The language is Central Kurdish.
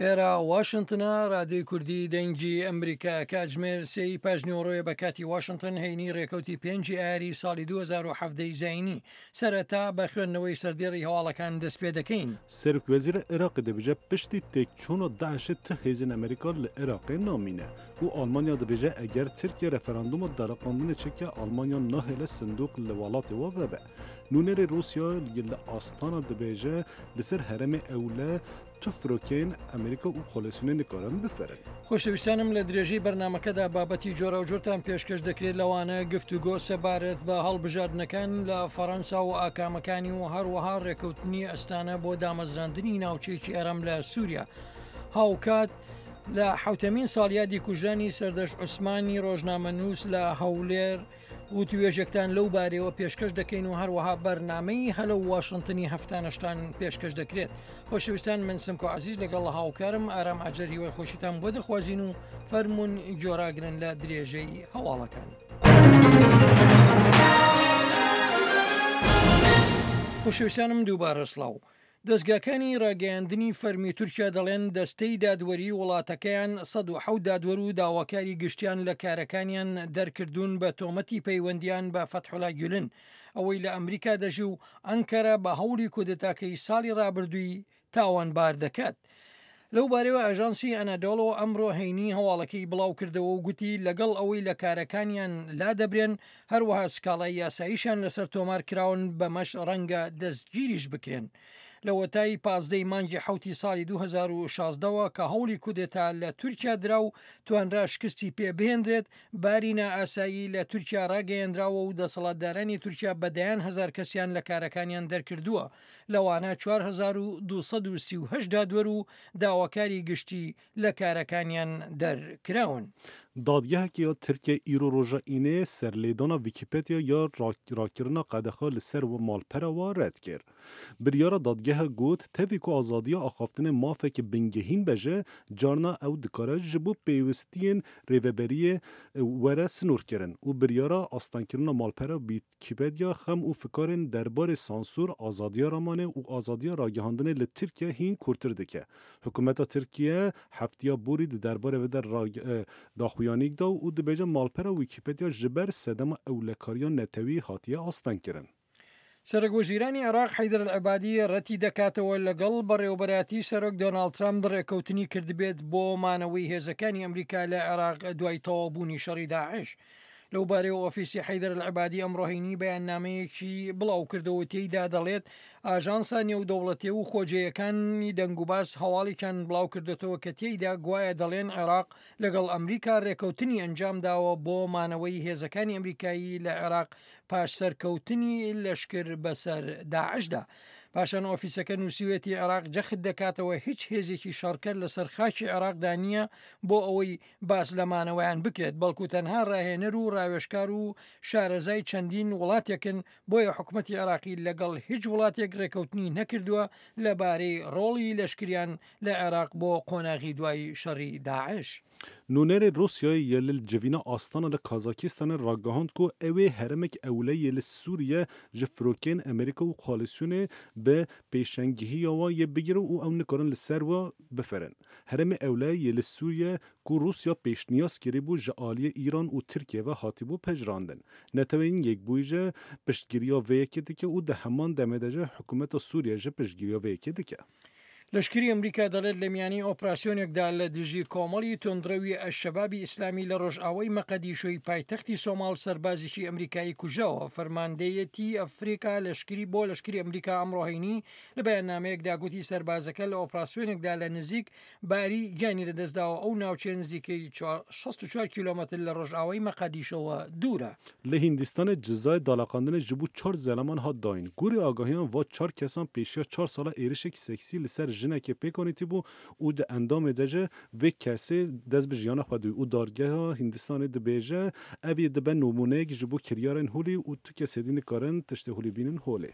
ئێرە واشنتنە، رادیۆی کوردی دەنگی ئەمریکا، کاتژمێر سێی پاش نیوەڕۆیە بە کاتی واشنتن، هەینی رێکەوتی پێنجی ئایاری ساڵی 2017 ی زایینی. سەرەتا بە خوێندنەوەی سەردێڕی هەواڵەکان دەست پێ دەکەین. سەرۆکوەزیرê Iraqê dibêje piştî têkçûna DAIŞ'ê ti hêzên Amerîka li Iraqê namîne û Almanya dibêje eger Tirkiye referandûma daliqandinê çêke Almanya nahêle sindoq li welatê wan vebe. Nûnerê Rûsya li Astana dibêje li ser herêmê ewle tu firokeyên Amerîka û koalîsyonê nikarin bifirin. خۆشەویستانم لە درێژەی بەرنامەکەدا بابەتی جۆراوجۆرتان پێشکەش دەکرێت لەوانە گفتوگۆ سەبارەت بە هەڵبژاردنەکان لە فەڕەنسا و ئاکامەکانی و هەروەها ڕێکەوتنی ئەستانە بۆ دامەزراندنی ناوچەیەکی ئارام لە سووریا. هاوکات لە حوتەمین ساڵیادی کوژرانی سەردەشت عوسمانی ڕۆژنامەنووس لە هەولێر وتوێژێکتان لەو بارەیەوە پێشکەش دەکەین و هەروەها بەرنامەی هەلە و واشنتنی هەفتانەشتان پێشکەش دەکرێت. خۆشەویستان من سمکۆ عزیز لەگەڵ هاوکارم ئارام ئاجەر هیوای خۆشیتان بۆ دەخوازین و فەرمونون گۆراگرن لە درێژەی هەواڵەکان. خۆشەویستانم دووبارە سڵاو. دەزگاکانی ڕاگەیاندنی فەرمی تورکیا دەڵێن دەستەی دادوەریی وڵاتەکەیان 107 دادوەر و داواکاری گشتیان لە کارەکانیان دەرکردوون بە تۆمەتی پەیوەندیان بە فەتحوڵا گولن ئەوەی لە ئەمریکا دەژی و ئەنکەرە بە هەوڵی کودەتاکەی ساڵی ڕابردووی تاوانبار دەکات. لەو بارەیەوە ئاژانسی ئەنادۆڵۆ ئەمڕۆ هەینی هەواڵەکەی بڵاوکردەوە و گوتی لەگەڵ ئەوەی لە کارەکانیان لادەبرێن، هەروەها سکاڵای یاساییشیان لەسەر تۆمار کراون، بەمەش ڕەنگە دەستگیریش بکرێن. لەوەتای 15 ی مانگی حەوتی ساڵی 2016 وە کە هەوڵی کودێتا لە تورکیا درا و توانرا شکستی پێ بهێندرێت، باری نائاسایی لە تورکیا ڕاگەیەنراوە و دەسەڵاتدارانی تورکیا بە دەیان هەزار کەسیان لە کارەکانیان دەرکردووە. لەوانە 4238 دادوەر و داواکاری گشتی لە کارەکانیان دەرکراون. Dadgeheke ya Tirkiyeyê îro roja Înê serlêdana Wîkîpediya ya rakirina qedexa li ser malpera we red kir. Biryara dadgeha got, tevî ku azadiya axaftinê mafeke bingehîn be ji, carna ew dikare ji bo pêwistiyên rêveberiyê were sinorkirin û biryara astengkirina malpera Wîkîpediya xem û fikarên derbarê sansûr, azadiya ramanê û azadiya ragihandinê li Tirkiye hîn kûrtir dike. Hikûmeta Tirkiye heftiya borî di derbarê vê de daxuyanîk da û dibêje malpera Wîkîpediya ji ber sedema ewlekariya netewî hatiye astengkirin. سەرۆکوەزیرانی عێراق حەیدەر ئەلعەبادی رەتی دەکاتەوە لەگەڵ بەڕێوەبەرایەتی سەرۆک دۆناڵد ترەمپ رێککەوتنی کردبێت بۆ مانەوەی هێزەکانی ئەمریکا لە عێراق دوای تەواوبوونی شەڕی داعش. لەوبارەیەوە ئۆفیسی حەیدەر ئەلعەبادی ئەمڕۆ هەینی بەیاننامەیەکی بڵاوکردەوە و تێیدا دەڵێت، ئاژانسە نێودەوڵەتی و خۆجێیەکانی دەنگوباس هەواڵێکیان بڵاوکردۆتەوە کە تێیدا گوایە دەڵێن عێراق لەگەڵ ئەمریکا رێککەوتنی ئەنجامداوە بۆ مانەوەی هێزەکانی ئەمریکایی لە عێراق پاش سەرکەوتنی لەشکر بەسەر داعشدا. پاشان ئۆفیسەکە نووسیوێتی عێراق جەخت دەکاتەوە هیچ هێزێکی شەڕکەر لەسەر خاکی عێراقدا نییە بۆ ئەوەی باس لە مانەوەیان بکرێت، بەڵکو تەنها ڕاهێنەر و ڕاوێژکار و شارەزای چەندین وڵاتێکن، بۆیە حکومەتی عێراقی لەگەڵ هیچ وڵاتێک ڕێکەوتنی نەکردووە لەبارەی ڕۆڵی لەشکریان لە عێراق بۆ قۆناغی دوای شەڕی داعش. Nûnerê Rûsyayê yê li civîna Astana li Kazakistanê ragihand ku ew ê herêmek ewle yê li Sûriye ji firokeyên Amerîka û koalîsyonê bi pêşengihiya wan yê bigire û ew nikarin li ser we bifirin. Herêmê ewle yê li Sûriye ku Rûsya pêşniyaz kiribû ji aliyê Îran û Tirkiye ve hatibû pejirandin. Neteweyên Yekbûyî ji piştgiriya vê yekê dike û di heman demê de ji hikûmeta Sûriye ji piştgiriya vê yekê dike. لەشکری ئەمریکا دەڵێت لە میانی ئۆپراسیۆنێکدا لە دژی کۆمەڵی توندڕەوی ئەلشەبابی ئیسلامی لە ڕۆژئاوای مەقەدیشۆی پایتەختی سۆماڵ سەربازێکی ئەمریکایی کوژراوە. فەرماندەیەتی ئەفریکا لەشکری بۆ لەشکری ئەمریکا ئەمڕۆ هەینی لە بەیاننامەیەکدا گوتی سەربازەکە لە ئۆپراسیۆنێکدا لە نزیک باری گیانی لەدەستداوە، ئەو ناوچەیە نزیکەی 64 کیلۆمەتر لە ڕۆژئاوای مەقەدیشۆوە دوورە. Li Hîndistanê cizayê daleqandinê ji bo çar zeleman hat dayîn. Gorî agahiyan va çar kesan pêşiya çar sala êrişek seksî li ser jinekê pêk anîtibû û di endamê de ji vê kesê dest bi jiyana xwe dû û Dadgeha Hîndistanê dibêje ev yê dibe nimûneyek ji bo kiryarên holî û tu kes êdî nikarin tiştê holî bînin holê.